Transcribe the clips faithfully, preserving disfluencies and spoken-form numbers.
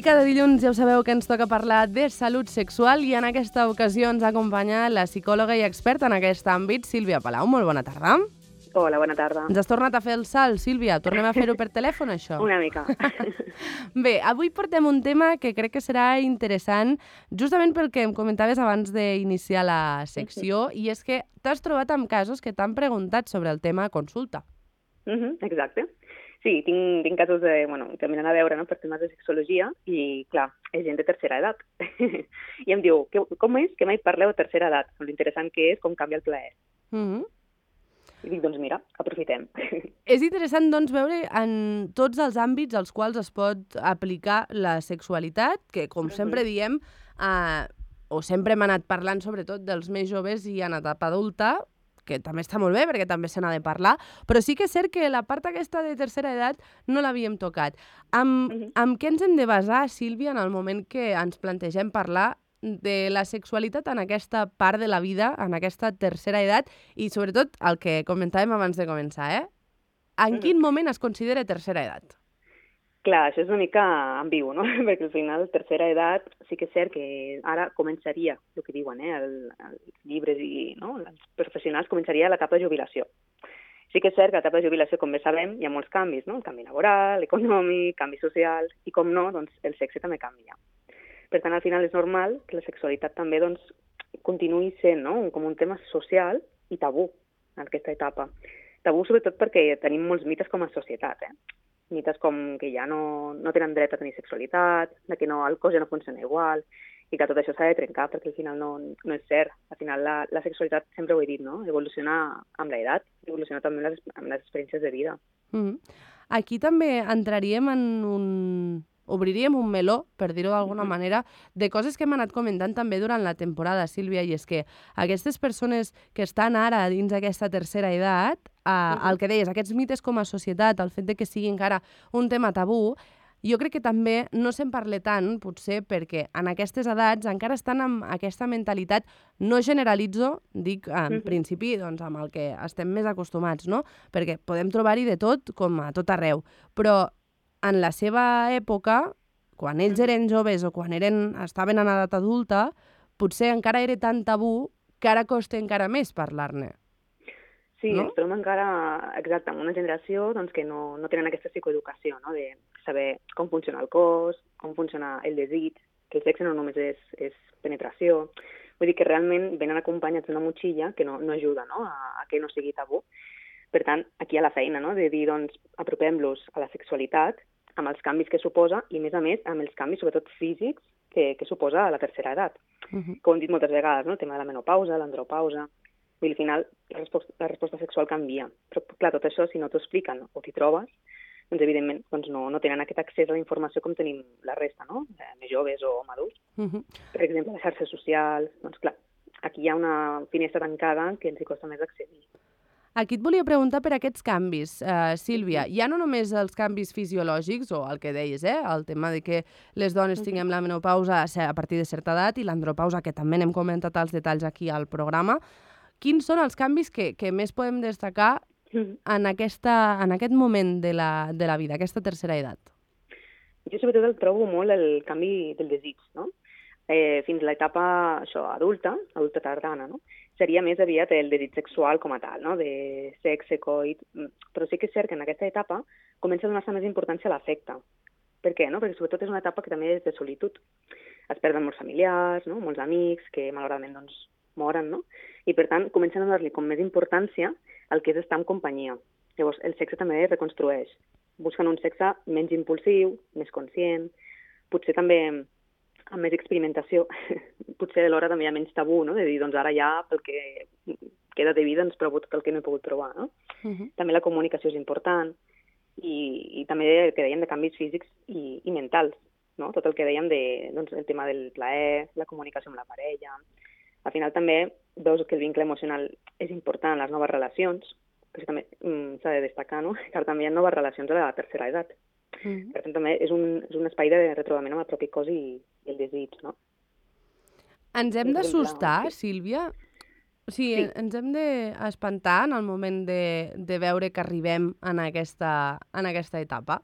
I cada dilluns ja ho sabeu que ens toca parlar de salut sexual i en aquesta ocasió ens acompanya la psicòloga i experta en aquest àmbit, Sílvia Palau. Molt bona tarda. Hola, bona tarda. Ens has tornat a fer el salt, Sílvia. Tornem a fer-ho per telèfon, això? Una mica. Bé, avui portem un tema que crec que serà interessant, justament pel que em comentaves abans d'iniciar la secció, i és que t'has trobat amb casos que t'han preguntat sobre el tema a consulta. Uh-huh, exacte. Sí, tinc, tinc casos de, bueno, que m'han a veure, no?, per temes de sexologia i, clar, és gent de tercera edat. I em diu, que, com és que mai parleu de tercera edat? L'interessant que és com canvia el plaer. Mm-hmm. I dic, doncs mira, aprofitem. És interessant, doncs, veure en tots els àmbits als quals es pot aplicar la sexualitat, que, com uh-huh. sempre diem, eh, o sempre hem anat parlant, sobretot, dels més joves i en etapa adulta, que també està molt bé, perquè també se n'ha de parlar, però sí que és cert que la part aquesta de tercera edat no l'havíem tocat. Amb, uh-huh. amb què ens hem de basar, Sílvia, en el moment que ens plantegem parlar de la sexualitat en aquesta part de la vida, en aquesta tercera edat, i sobretot el que comentàvem abans de començar, eh? En uh-huh. quin moment es considera tercera edat? Clar, això és una mica ambigu, no? Perquè al final, tercera edat, sí que és cert que ara començaria, el que diuen, eh, el, els llibres i no? els professionals, començaria l'etapa de jubilació. Sí que és cert que a l'etapa de jubilació, com bé sabem, hi ha molts canvis, no? El canvi laboral, econòmic, canvi social, i com no, doncs el sexe també canvia. Per tant, al final és normal que la sexualitat també doncs, continuï sent, no?, com un tema social i tabú en aquesta etapa. Tabú sobretot perquè tenim molts mites com a societat, eh? Mites com que ja no, no tenen dret a tenir sexualitat, de que no, el cos ja no funciona igual, i que tot això s'ha de trencar perquè al final no, no és cert. Al final la, la sexualitat, sempre ho he dit, no? Evoluciona amb l'edat, evoluciona també amb les, amb les experiències de vida. Mm-hmm. Aquí també entraríem en un... obriríem un meló, per dir-ho d'alguna mm-hmm. manera, de coses que hem anat comentant també durant la temporada, Sílvia, i és que aquestes persones que estan ara dins d'aquesta tercera edat, eh, mm-hmm. el que deies, aquests mites com a societat, el fet de que sigui encara un tema tabú, jo crec que també no se'n parla tant, potser perquè en aquestes edats encara estan amb aquesta mentalitat, no generalitzo, dic en mm-hmm. principi doncs, amb el que estem més acostumats, no? Perquè podem trobar-hi de tot, com a tot arreu, però en la seva època, quan ells eren joves o quan eren, estaven en edat adulta, potser encara era tan tabú que ara costa encara més parlar-ne. Sí, no? Ens trobem encara, exacte, en una generació doncs, que no, no tenen aquesta psicoeducació, no?, de saber com funciona el cos, com funciona el desig, que el sexe no només és, és penetració. Vull dir que realment venen acompanyats d'una motxilla que no, no ajuda, no?, a, a que no sigui tabú. Per tant, aquí hi ha la feina, no?, de dir, doncs, apropem-los a la sexualitat amb els canvis que suposa i, a més a més, amb els canvis, sobretot físics, que, que suposa a la tercera edat. Uh-huh. Com hem dit moltes vegades, no?, el tema de la menopausa, l'andropausa. I al final la resposta, la resposta sexual canvia. Però, clar, tot això, si no t'ho expliquen o t'hi trobes, doncs, evidentment, doncs no, no tenen aquest accés a la informació com tenim la resta, no?, eh, més joves o madurs. Uh-huh. Per exemple, les xarxes socials, doncs, clar, aquí hi ha una finestra tancada que ens hi costa més accedir. Aquí et volia preguntar per aquests canvis, uh, Sílvia. Ja no només els canvis fisiològics, o el que deies, eh? El tema de que les dones tinguem la menopausa a partir de certa edat i l'andropausa, que també n'hem comentat els detalls aquí al programa. Quins són els canvis que, que més podem destacar en, aquesta, en aquest moment de la, de la vida, aquesta tercera edat? Jo sobretot el trobo molt el canvi del desig, no? Eh, fins a l'etapa això, adulta, adulta tardana, no?, seria més aviat el desig sexual com a tal, no?, de sexe, coit, però sí que és cert que en aquesta etapa comença a donar-se més importància a l'afecte. Per què? No? Perquè sobretot és una etapa que també és de solitud. Es perden molts familiars, no?, molts amics que malauradament doncs, moren, no?, i per tant comencen a donar-li com més importància al que és estar en companyia. Llavors el sexe també es reconstrueix. Busquen un sexe menys impulsiu, més conscient, potser també amb més experimentació, potser alhora també hi ha menys tabú, no?, de dir, doncs ara ja pel que queda de vida ens provo tot el que no he pogut trobar, no? Uh-huh. També la comunicació és important i, i també el que dèiem de canvis físics i, i mentals, no?, tot el que dèiem de, doncs, el tema del plaer, la comunicació amb la parella. Al final també veus que el vincle emocional és important en les noves relacions, que també mm, s'ha de destacar, no?, que també hi ha noves relacions a la tercera edat. Mm-hmm. Per tant, també és un, és un espai de retrobament amb el propi cos i, i el desig, no? Ens hem d'assustar, Sílvia? O sigui, sí. ens hem d'espantar en el moment de, de veure que arribem en aquesta, en aquesta etapa?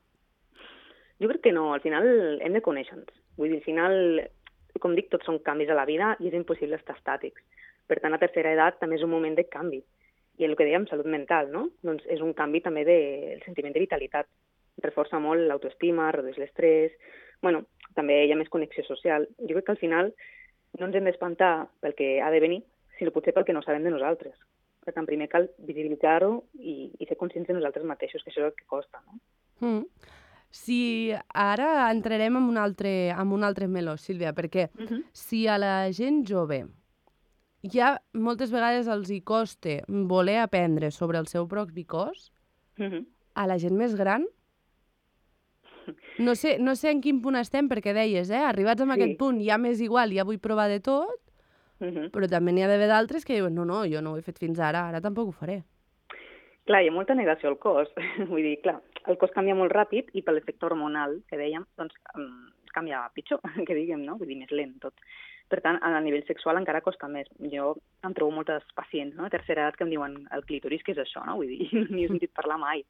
Jo crec que no, al final hem de conèixer-nos. Vull dir, al final, com dic, tots són canvis a la vida i és impossible estar estàtics. Per tant, la tercera edat també és un moment de canvi. I el que dèiem, salut mental, no? Doncs és un canvi també del sentiment de vitalitat. Reforça molt l'autoestima, redueix l'estrès. Bueno, també hi ha més connexió social. Jo crec que al final no ens hem d'espantar pel que ha de venir, sinó potser pel que no sabem de nosaltres. Per tant, primer cal visibilitzar-ho i, i ser conscients de nosaltres mateixos, que això és el que costa, no? Mm. Si ara entrarem en un altre, en un altre meló, Sílvia, perquè uh -huh. si a la gent jove ja moltes vegades els hi costa voler aprendre sobre el seu propi cos, uh -huh. a la gent més gran, no sé, no sé en quin punt estem, perquè deies, eh, arribats a sí. aquest punt ja m'és igual, ja vull provar de tot, uh -huh. però també n'hi ha d'haver d'altres que diuen no, no, jo no ho he fet fins ara, ara tampoc ho faré. Clar, hi ha molta negació al cos. Vull dir, clar, el cos canvia molt ràpid i per l'efecte hormonal, que dèiem, doncs um, canvia pitjor, que diguem, no? Vull dir, més lent tot. Per tant, a nivell sexual encara costa més. Jo em trobo moltes pacients, no?, a tercera edat que em diuen el clítoris, què és això, no? Vull dir, ni he sentit parlar mai.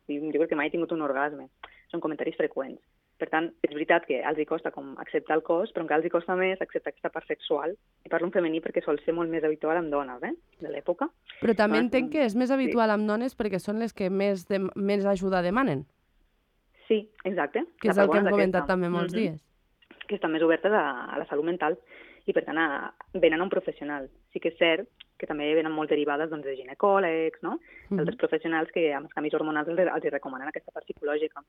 Vull dir, jo crec que mai he tingut un orgasme. Són comentaris freqüents. Per tant, és veritat que els hi costa com acceptar el cos, però encara els hi costa més acceptar aquesta part sexual. I parlo en femení perquè sol ser molt més habitual en dones, eh?, de l'època. Però també entenc que és més habitual amb dones perquè són les que més, de, més ajuda demanen. Sí, exacte. Que és el que hem comentat també molts mm-hmm. dies. Que estan més obertes a, a la salut mental i, per tant, a, venen a un professional. Sí que és cert que també venen molt derivades doncs, de ginecòlegs, no?, mm-hmm. d'altres professionals que amb els canvis hormonals els, els recomanen aquesta part psicològica.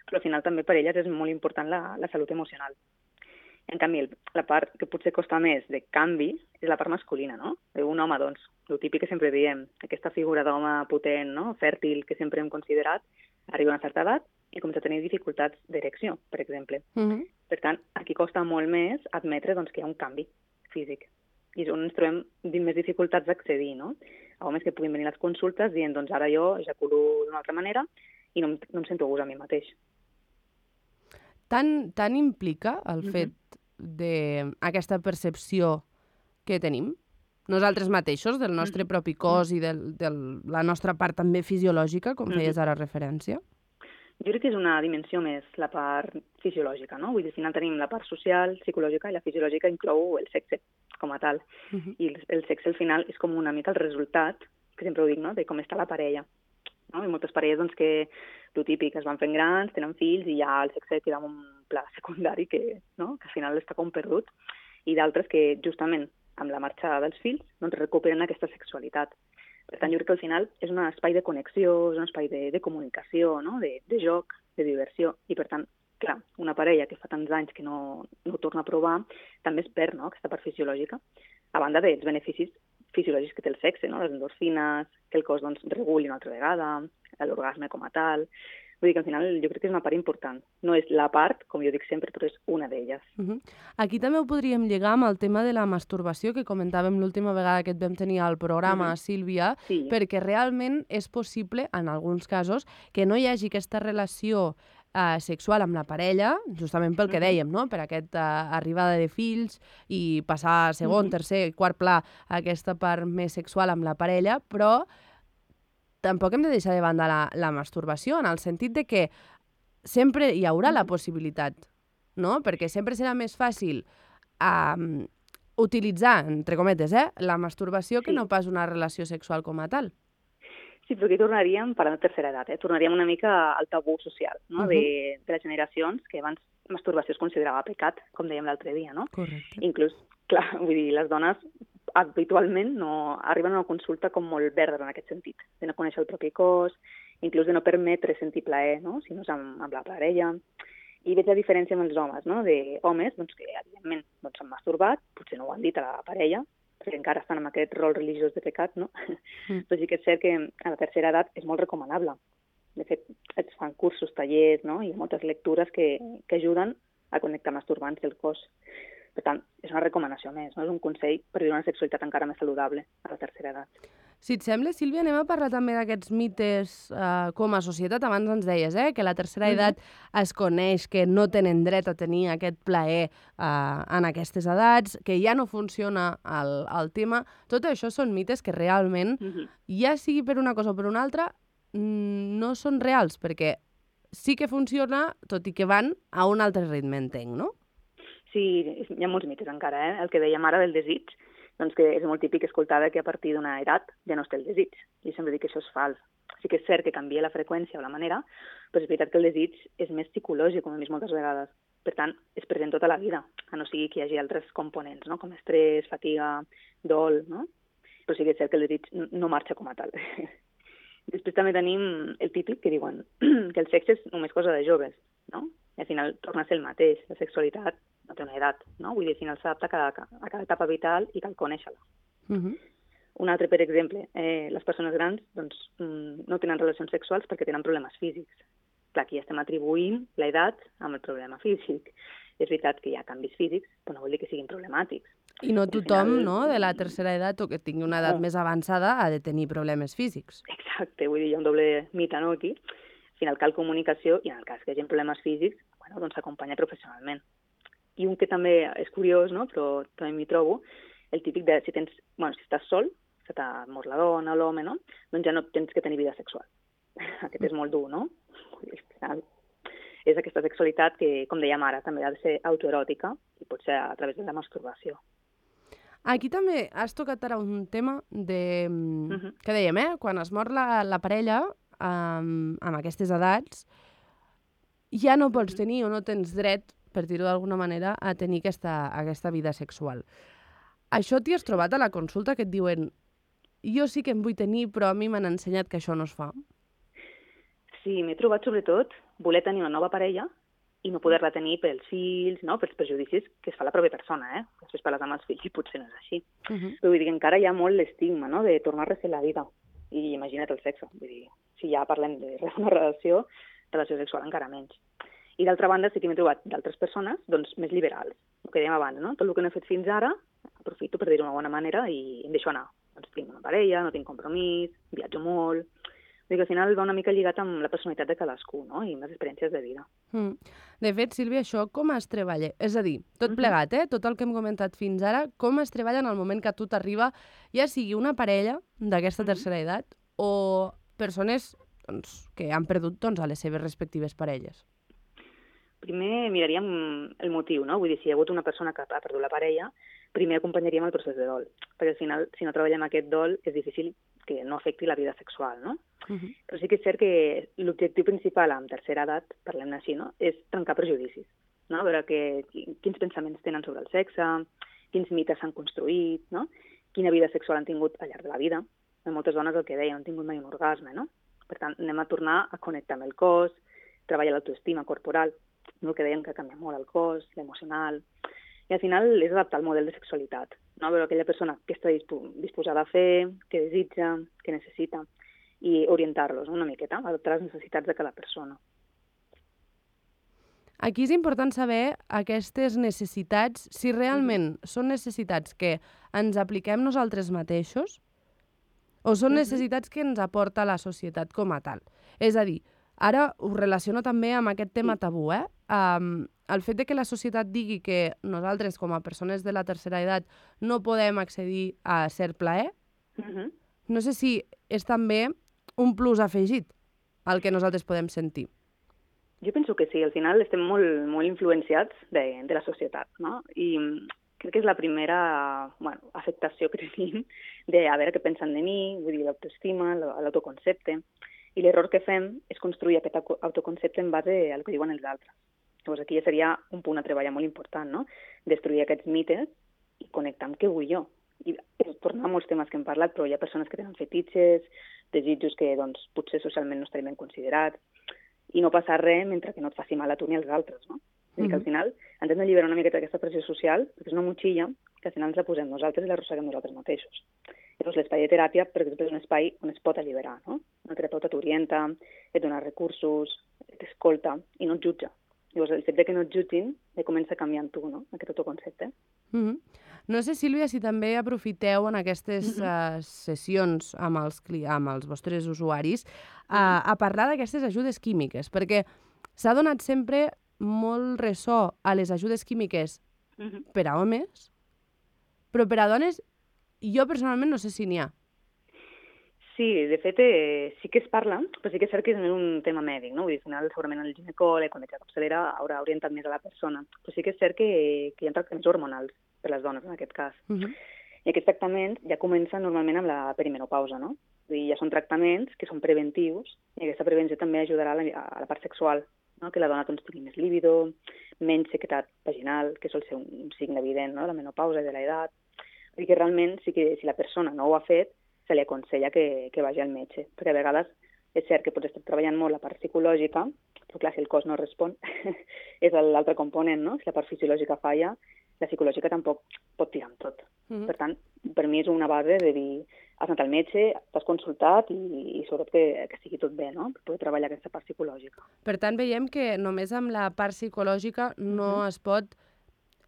Però al final també per elles és molt important la, la salut emocional. En canvi, el, la part que potser costa més de canvi és la part masculina, no? Un home, doncs, el típic que sempre diem, aquesta figura d'home potent, no?, fèrtil, que sempre hem considerat, arriba a una certa edat i comença a tenir dificultats d'erecció, per exemple. Mm-hmm. Per tant, aquí costa molt més admetre doncs, que hi ha un canvi físic. I és on ens trobem dins més dificultats d'accedir, no? Homes que puguin venir a les consultes dient, doncs ara jo ejaculo d'una altra manera i no, no em sento a gust a mi mateix. Tant, tant implica el mm-hmm. fet d'aquesta percepció que tenim nosaltres mateixos, del nostre mm-hmm. propi cos i de la nostra part també fisiològica, com feies mm-hmm. ara referència? Jo crec que és una dimensió més la part fisiològica, no? Vull dir, al final tenim la part social, psicològica, i la fisiològica inclou el sexe com a tal. Uh-huh. I el, el sexe al final és com una mica el resultat, que sempre ho dic, no?, de com està la parella. No? I moltes parelles, doncs, que el típic, es van fent grans, tenen fills, i ja el sexe queda en un pla secundari que, no?, que al final està com perdut. I d'altres que, justament, amb la marxa dels fills, doncs recuperen aquesta sexualitat. Per tant, jo crec que al final és un espai de connexió, és un espai de, de comunicació, no?, de, de joc, de diversió. I, per tant, clar, una parella que fa tants anys que no, no ho torna a provar, també es perd, no?, aquesta part fisiològica, a banda dels beneficis fisiològics que té el sexe, no?, les endorfines, que el cos doncs, reguli una altra vegada, l'orgasme com a tal. Vull dir que al final jo crec que és una part important. No és la part, com jo dic sempre, però és una d'elles. Uh-huh. Aquí també ho podríem lligar amb el tema de la masturbació, que comentàvem l'última vegada que et vam tenir al programa, uh-huh. Sílvia, sí. perquè realment és possible, en alguns casos, que no hi hagi aquesta relació uh, sexual amb la parella, justament pel que uh-huh. dèiem, no?, per aquesta arribada de fills i passar a segon, uh-huh. tercer, quart pla aquesta part més sexual amb la parella, però tampoc hem de deixar de banda la, la masturbació, en el sentit de que sempre hi haurà la possibilitat, no? Perquè sempre serà més fàcil um, utilitzar, entre cometes, eh, la masturbació que sí. no pas una relació sexual com a tal. Sí, però aquí tornaríem, parlant de tercera edat, eh? tornaríem una mica al tabú social, no? Uh-huh. de, de les generacions, que abans masturbació es considerava pecat, com dèiem l'altre dia, no? Correcte. Inclús, clar, vull dir, les dones habitualment no arriben a una consulta com molt verda en aquest sentit, de no conèixer el propi cos, inclús de no permetre sentir plaer, no?, si no és amb, amb la parella. I veig la diferència amb els homes, no?, de homes doncs, que evidentment doncs, s'han masturbat, potser no ho han dit a la parella, perquè encara estan amb aquest rol religiós de pecat, no? Mm. Però sí que és cert que a la tercera edat és molt recomanable. De fet, es fan cursos, tallers, no?, i moltes lectures que, que ajuden a connectar masturbants i el cos. Per tant, és una recomanació més, no? És un consell per viure una sexualitat encara més saludable a la tercera edat. Si et sembla, Sílvia, anem a parlar també d'aquests mites eh, com a societat. Abans ens deies eh, que a la tercera edat mm-hmm. es coneix que no tenen dret a tenir aquest plaer eh, en aquestes edats, que ja no funciona el, el tema. Tot això són mites que realment, mm-hmm. ja sigui per una cosa o per una altra, no són reals, perquè sí que funciona, tot i que van a un altre ritme, entenc, no? Sí, hi ha molts mites encara, eh? El que dèiem ara del desig, doncs que és molt típic escoltar que a partir d'una edat ja no es té el desig. Jo sempre dic que això és fals. Sí que és cert que canvia la freqüència o la manera, però és veritat que el desig és més psicològic, com hem vist moltes vegades. Per tant, és present tota la vida, a no sigui que hi hagi altres components, no? Com estrès, fatiga, dol, no? Però sí que és cert que el desig no marxa com a tal. Després també tenim el típic que diuen que el sexe és només cosa de joves, no? I al final torna a ser el mateix. La sexualitat no té una edat, no? Vull dir, al final s'adapta a cada, a cada etapa vital i cal conèixer-la. Uh -huh. Un altre, per exemple, eh, les persones grans doncs, no tenen relacions sexuals perquè tenen problemes físics. Clar, aquí estem atribuint l'edat amb el problema físic. És veritat que hi ha canvis físics, però no vol dir que siguin problemàtics. I no tothom, final... no?, de la tercera edat o que tingui una edat no. més avançada ha de tenir problemes físics. Exacte, vull dir, hi ha un doble mite, no, aquí. Al final cal comunicació i en el cas que hi hagi problemes físics, bueno, doncs s'acompanya professionalment. I un que també és curiós, no?, però també m'hi trobo, el típic de si tens, bueno, si estàs sol, se t'ha mort la dona o l'home, no?, doncs ja no tens que tenir vida sexual. Aquest és molt dur, no? Al final és aquesta sexualitat que, com dèiem ara, també ha de ser autoeròtica i pot ser a través de la masturbació. Aquí també has tocat ara un tema de... Uh-huh. que dèiem, eh? Quan es mor la, la parella um, amb aquestes edats, ja no pots tenir o no tens dret, per dir-ho d'alguna manera, a tenir aquesta, aquesta vida sexual. Això t'hi has trobat a la consulta que et diuen jo sí que em vull tenir, però a mi m'han ensenyat que això no es fa? Sí, m'he trobat sobretot voler tenir una nova parella i no poder-la tenir pels fills, no? Pels prejudicis que es fa la pròpia persona, eh? Després parles amb els fills i potser no és així. Uh-huh. Però vull dir que encara hi ha molt l'estigma, no?, de tornar a refer la vida. I imagina't el sexe. Vull dir, si ja parlem de una relació, relació sexual encara menys. I d'altra banda sí que m'he trobat d'altres persones doncs, més liberals. El que dèiem abans, no? Tot el que no he fet fins ara, aprofito per dir-ho d'una bona manera i em deixo anar. Doncs tinc una parella, no tinc compromís, viatjo molt... Vull dir que al final va una mica lligat amb la personalitat de cadascú, no?, i amb les experiències de vida. Mm. De fet, Sílvia, això com es treballa? És a dir, tot plegat, eh? Tot el que hem comentat fins ara, com es treballa en el moment que a tu t'arriba, ja sigui una parella d'aquesta tercera edat o persones doncs, que han perdut doncs, a les seves respectives parelles? Primer miraríem el motiu, no? Vull dir, si hi ha hagut una persona que ha perdut la parella, primer acompanyaríem el procés de dol, perquè al final, si no treballem aquest dol, és difícil que no afecti la vida sexual, no? Uh-huh. Però sí que és cert que l'objectiu principal amb tercera edat, parlem així, no?, és trencar prejudicis, no? A veure que, quins pensaments tenen sobre el sexe, quins mites s'han construït, no?, quina vida sexual han tingut al llarg de la vida. Moltes dones el que deien, han tingut mai un orgasme, no? Per tant, anem a tornar a connectar amb el cos, treballar l'autoestima corporal, no? El que deien que canvia molt el cos, l'emocional... I al final és adaptar el model de sexualitat, no? A veure aquella persona que està disposada a fer, que desitja, que necessita, i orientar-los, no? Una miqueta, adaptar les necessitats de cada persona. Aquí és important saber aquestes necessitats, si realment uh-huh. són necessitats que ens apliquem nosaltres mateixos o són uh-huh. necessitats que ens aporta la societat com a tal. És a dir, ara ho relaciono també amb aquest tema tabú, eh? Um, el fet de que la societat digui que nosaltres, com a persones de la tercera edat, no podem accedir a ser plaer, uh-huh. no sé si és també un plus afegit al que nosaltres podem sentir. Jo penso que sí, al final estem molt, molt influenciats de, de la societat, no? I crec que és la primera bueno, afectació que tenim de a veure què pensen de mi, vull dir, l'autoestima, l'autoconcepte. I l'error que fem és construir aquest autoconcepte en base al que diuen els altres. Llavors aquí ja seria un punt a treballar molt important, no? Destruir aquests mites i connectar amb què vull jo. I tornar a molts temes que hem parlat, però hi ha persones que tenen fetitxes, desitjos que doncs, potser socialment no estarien ben considerats, i no passar res mentre que no et faci mal a tu ni als altres, no? És dir, que al final ens hem d'alliberar una miqueta d'aquesta pressió social, perquè és una motxilla que al final ens la posem nosaltres i l'arrosseguem nosaltres mateixos. Llavors l'espai de teràpia, per exemple, és un espai on es pot alliberar, no? Una terapeuta t'orienta, et dona recursos, t'escolta i no et jutja. Llavors, el fet de que no et jutgin ja comença a canviar en tu, no?, aquest autoconcepte. Mm-hmm. No sé, Sílvia, si també aprofiteu en aquestes mm-hmm. uh, sessions amb els, amb els vostres usuaris uh, a parlar d'aquestes ajudes químiques, perquè s'ha donat sempre molt ressò a les ajudes químiques mm-hmm. per a homes, però per a dones jo personalment no sé si n'hi ha. Sí, de fet, eh, sí que es parla, però sí que és cert que és un tema mèdic, no? Vull dir, al final, segurament el ginecòleg, quan veig la capçalera, haurà orientat més a la persona. Però sí que és cert que, que hi ha tractaments hormonals per les dones, en aquest cas. Uh -huh. I aquests tractaments ja comencen normalment amb la perimenopausa, no? Vull dir, ja són tractaments que són preventius i aquesta prevenció també ajudarà a la, a la part sexual, no? Que la dona doncs, tingui més líbido, menys sequedat vaginal, que sol ser un, un signe evident, no? De la menopausa i de l'edat. Vull dir que realment sí que si la persona no ho ha fet, se li aconsella que, que vagi al metge, perquè a vegades és cert que pots estar treballant molt la part psicològica, però clar, si el cos no respon, és l'altre component, no? Si la part fisiològica falla, la psicològica tampoc pot tirar amb tot. Mm-hmm. Per tant, per mi és una base de dir, has anat al metge, t'has consultat i, i sobretot que, que sigui tot bé, no? Per poder treballar aquesta part psicològica. Per tant, veiem que només amb la part psicològica no mm-hmm. es pot,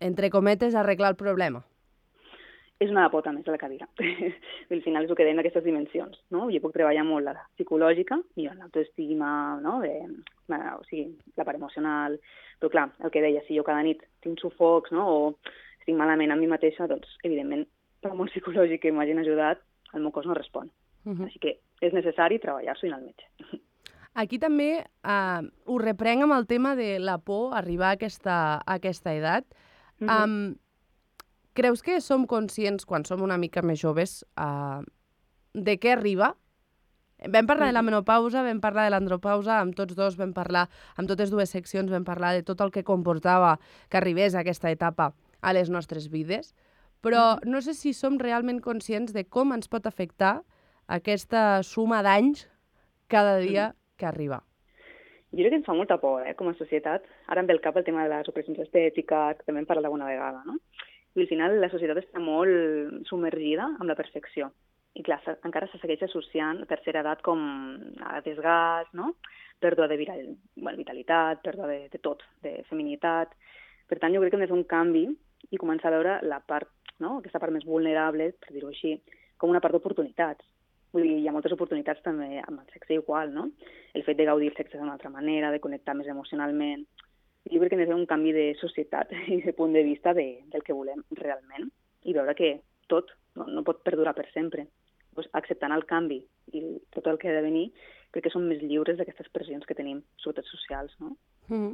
entre cometes, arreglar el problema. És una pota més de la cadira. Al final és el que dèiem d'aquestes dimensions, no? Jo puc treballar molt la psicològica, millor l'autoestima, no? De, o sigui, la part emocional, però clar, el que deia, si jo cada nit tinc sufocs, no? O estic malament amb mi mateixa, doncs, evidentment, per molt psicològic que m'hagin ajudat, el meu cos no respon. Uh-huh. Així que és necessari treballar-s'ho i anar al metge. Aquí també eh, ho reprenc amb el tema de la por a arribar a aquesta, a aquesta edat. Uh-huh. Um, Creus que som conscients, quan som una mica més joves, uh, de què arriba? Vam parlar de la menopausa, vam parlar de l'andropausa, amb tots dos vam parlar, amb totes dues seccions vam parlar de tot el que comportava que arribés a aquesta etapa a les nostres vides, però no sé si som realment conscients de com ens pot afectar aquesta suma d'anys cada dia que arriba. Jo crec que ens fa molta por, eh, com a societat. Ara em ve al cap el tema de les operacions estètiques, que també hem parlat alguna vegada, no? I al final la societat està molt submergida amb la perfecció. I clar, encara se segueix associant a tercera edat com a desgast, no? Pèrdua de viral, bueno, vitalitat, pèrdua de, de tot, de feminitat. Per tant, jo crec que hem de fer un canvi i començar a veure la part, no? Aquesta part més vulnerable, per dir-ho així, com una part d'oportunitats. Vull dir, hi ha moltes oportunitats també amb el sexe igual, no? El fet de gaudir el sexe d'una altra manera, de connectar més emocionalment. Jo crec que hem de fer un canvi de societat i de punt de vista de, del que volem realment i veure que tot no, no pot perdurar per sempre. Pues, acceptant el canvi i tot el que ha de venir, crec que som més lliures d'aquestes pressions que tenim, sobretot socials, no? Mm-hmm.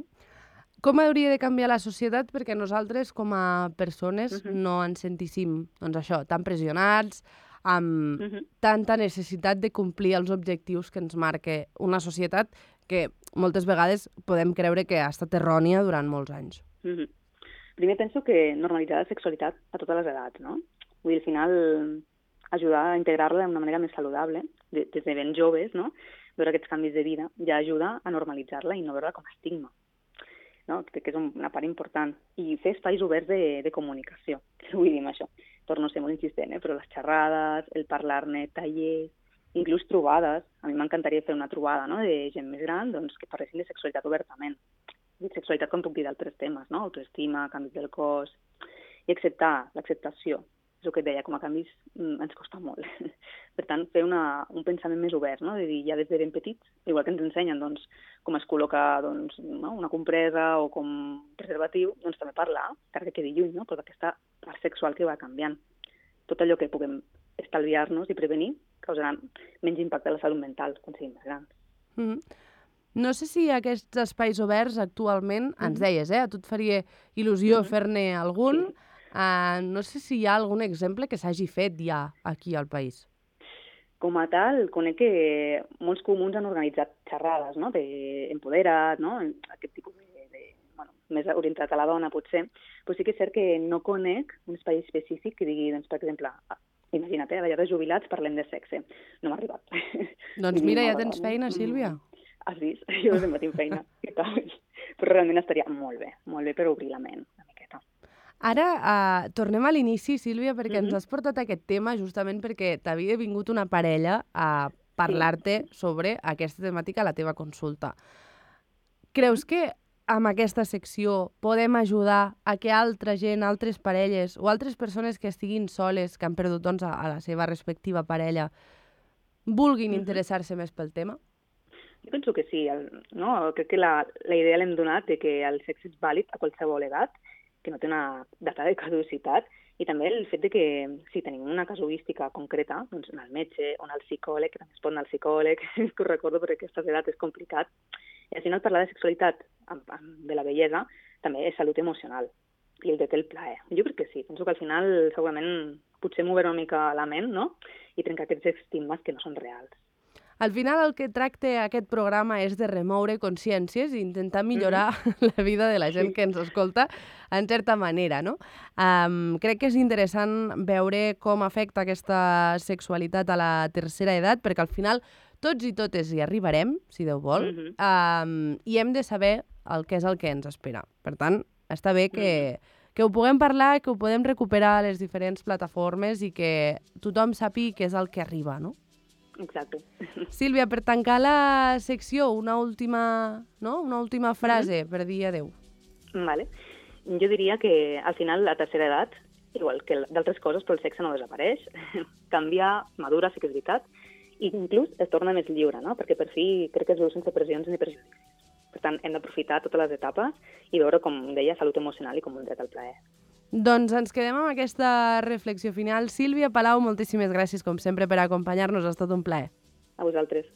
Com hauria de canviar la societat perquè nosaltres, com a persones, uh-huh. no ens sentíssim, doncs això, tan pressionats, amb uh-huh. tanta necessitat de complir els objectius que ens marca una societat que moltes vegades podem creure que ha estat errònia durant molts anys. Uh-huh. Primer penso que normalitzar la sexualitat a totes les edats, no? Vull dir, al final, ajudar a integrar-la d'una manera més saludable, des de ben joves, no? Veure aquests canvis de vida ja ajuda a normalitzar-la i no veure-la com a estigma. No? Crec que és una part important. I fer espais oberts de, de comunicació. Què vull dir amb això? Torno a ser molt insistent, eh? Però les xerrades, el parlar-ne, tallers, inclús trobades. A mi m'encantaria fer una trobada, no? De gent més gran doncs, que parlessin de sexualitat obertament. De sexualitat com puc dir d'altres temes, no? Autoestima, canvis del cos, i acceptar l'acceptació. És el que et deia, com a canvis mm, ens costa molt. Per tant, fer una, un pensament més obert, no? De dir, ja des de ben petits, igual que ens ensenyen doncs, com es col·loca doncs, no? una compresa o com preservatiu, doncs també parlar, encara que quedi lluny, no? Però d'aquesta part sexual que va canviant. Tot allò que puguem estalviar-nos i prevenir causarà menys impacte a la salut mental quan siguin més grans. Mm-hmm. No sé si aquests espais oberts actualment, mm-hmm. ens deies, eh? A tu et faria il·lusió mm-hmm. fer-ne algun. Sí. Uh, no sé si hi ha algun exemple que s'hagi fet ja aquí al país. Com a tal, conec que molts comuns han organitzat xerrades, no? D'empodera't, no? Aquest tipus de, de, bueno, més orientat a la dona, potser. Però sí que és cert que no conec un espai específic que digui, doncs, per exemple, imagina't, eh, a la llar de jubilats parlem de sexe. No m'ha arribat. Doncs mira, ja tens feina, Sílvia. Has vist? Jo sempre tinc feina. Però realment estaria molt bé, molt bé per obrir la ment una miqueta. Ara uh, tornem a l'inici, Sílvia, perquè mm-hmm. ens has portat aquest tema justament perquè t'havia vingut una parella a parlar-te sí. sobre aquesta temàtica a la teva consulta. Creus que amb aquesta secció podem ajudar a que altra gent, altres parelles o altres persones que estiguin soles, que han perdut doncs, a, a la seva respectiva parella, vulguin mm-hmm. interessar-se més pel tema? Jo penso que sí. El, no? Crec que la, la idea l'hem donat de que el sexe és vàlid a qualsevol edat, que no té una data de caducitat I també el fet de que si tenim una casuística concreta, doncs anar al metge o anar al psicòleg, que també es pot anar al psicòleg, que ho recordo perquè a aquestes edats és complicat, i al final parlar de sexualitat, de la bellesa, també és salut emocional i el de té el plaer. Jo crec que sí, penso que al final segurament potser moure una mica la ment, no? I trencar aquests estigmes que no són reals. Al final el que tracta aquest programa és de remoure consciències i intentar millorar mm-hmm. la vida de la gent que ens escolta en certa manera, no? Um, crec que és interessant veure com afecta aquesta sexualitat a la tercera edat, perquè al final tots i totes hi arribarem, si Déu vol, mm-hmm. um, i hem de saber el que és el que ens espera. Per tant, està bé que, mm-hmm. que ho puguem parlar, que ho podem recuperar a les diferents plataformes i que tothom sàpiga què és el que arriba, no? Exacte. Sílvia, per tancar la secció, una última, no? una última frase mm-hmm. per dir adeu. Vale. Jo diria que al final la tercera edat, igual que d'altres coses, però el sexe no desapareix, canvia, madura, sí que és veritat, i inclús es torna més lliure, no? Perquè per fi crec que es veu sense pressions ni prejudicis. Per tant, hem d'aprofitar totes les etapes i veure, com deia, salut emocional i com un dret al plaer. Doncs ens quedem amb aquesta reflexió final. Sílvia Palau, moltíssimes gràcies, com sempre, per acompanyar-nos. Ha estat un plaer. A vosaltres.